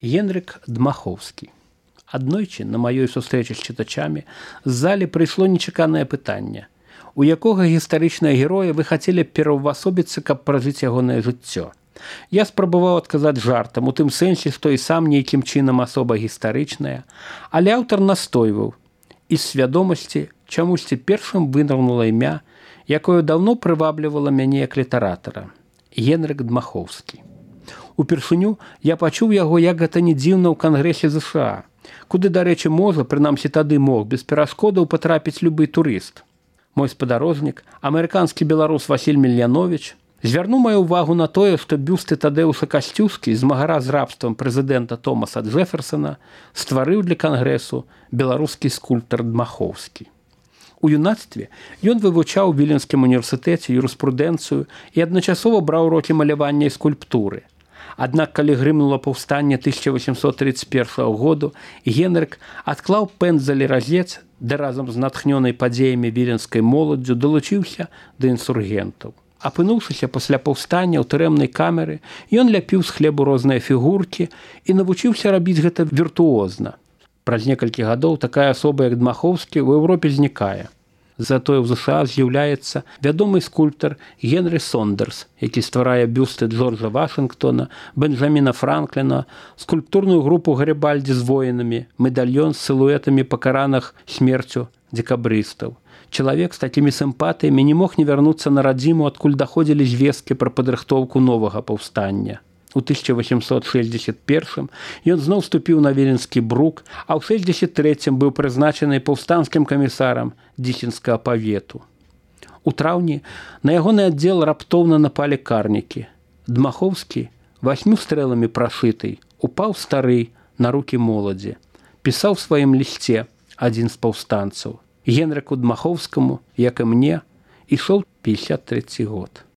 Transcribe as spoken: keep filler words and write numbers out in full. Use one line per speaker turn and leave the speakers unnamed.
Генрик Дмаховскі. Аднойчы на маёй сустрэчы з чытачамі з залі прыйшло нечаканае пытанне: у якога гістарычнага героя вы хацелі б пераўвасобіцца, каб пражыць ягонае жыццё? Я спрабаваў адказаць жартам, у тым сэнсе, што і сам нейкім чынам асоба гістарычная, але аўтар настойваў, і з свядомасці чамусьці першым вынырнула імя, якое даўно прываблівала мяне як літаратара – Генрик Дмаховскі. Упершыню я пачуў яго, як гэта не дзіўна, ў Кангрэсе ЗША, куды, дарэчы, можа, прынамсі тады мог, без перашкодаў патрапіць любы турыст. Мой спадарожнік, амерыканскі беларус Васіль Мільяновіч, звярнуў маю ўвагу на тое, што бюсты Тадэуша Касцюскі, змагара з рабствам прэзідэнта Томаса Джэферсона, стварыў для Кангрэсу беларускі скульптар Дмаховскі. У юнацтве ён вывучаў у Віленскім універсітэце юрыспрудэнцыю і адначасова браў урокі малявання і скульптуры. Аднак, калі грымнула паўстанне тысяча восемьсот тридцать первого году, Генрик адклаў пэндзаль і разец, ды разам з натхнёнай падзеямі віленскай моладдзю далучыўся да інсургентаў. Апынуўшыся пасля паўстання ў турэмнай камеры, ён ляпіў з хлебу розныя фігуркі і навучыўся рабіць гэта віртуозна. Праз некалькі гадоў такая асоба, як Дмаховскі, у Еўропе знікае. Затое ў ЗША з'яўляецца вядомы скульптар Генрі Сондерс, які стварае бюсты Джорджа Вашынгтона, Бенджаміна Франкліна, скульптурную групу Гарібальдзі з воінамі, медальён з сілуэтамі пакараных смерцю дзекабрыстаў. Чалавек з такімі сімпатыямі не мог не вярнуцца на радзіму, адкуль даходзілі звесткі пра падрыхтоўку новага паўстання. У тысяча восемьсот шэсцьдзесят первым ён зноў ступіў на Віленскі брук, а ў шэсцьдзесят трэцім быў прызначаны паўстанцкім камісарам Дзісенскага павету. У траўні на ягоны аддзел раптоўна напалі карнікі. Дмаховскі, васьмю стрэламі прашытый, упаў стары на рукі моладзі. Пісаў у сваім лісце адзін з паўстанцаў: Генрыку Дмаховскаму, як і мне, ішоў пятьдесят третий год.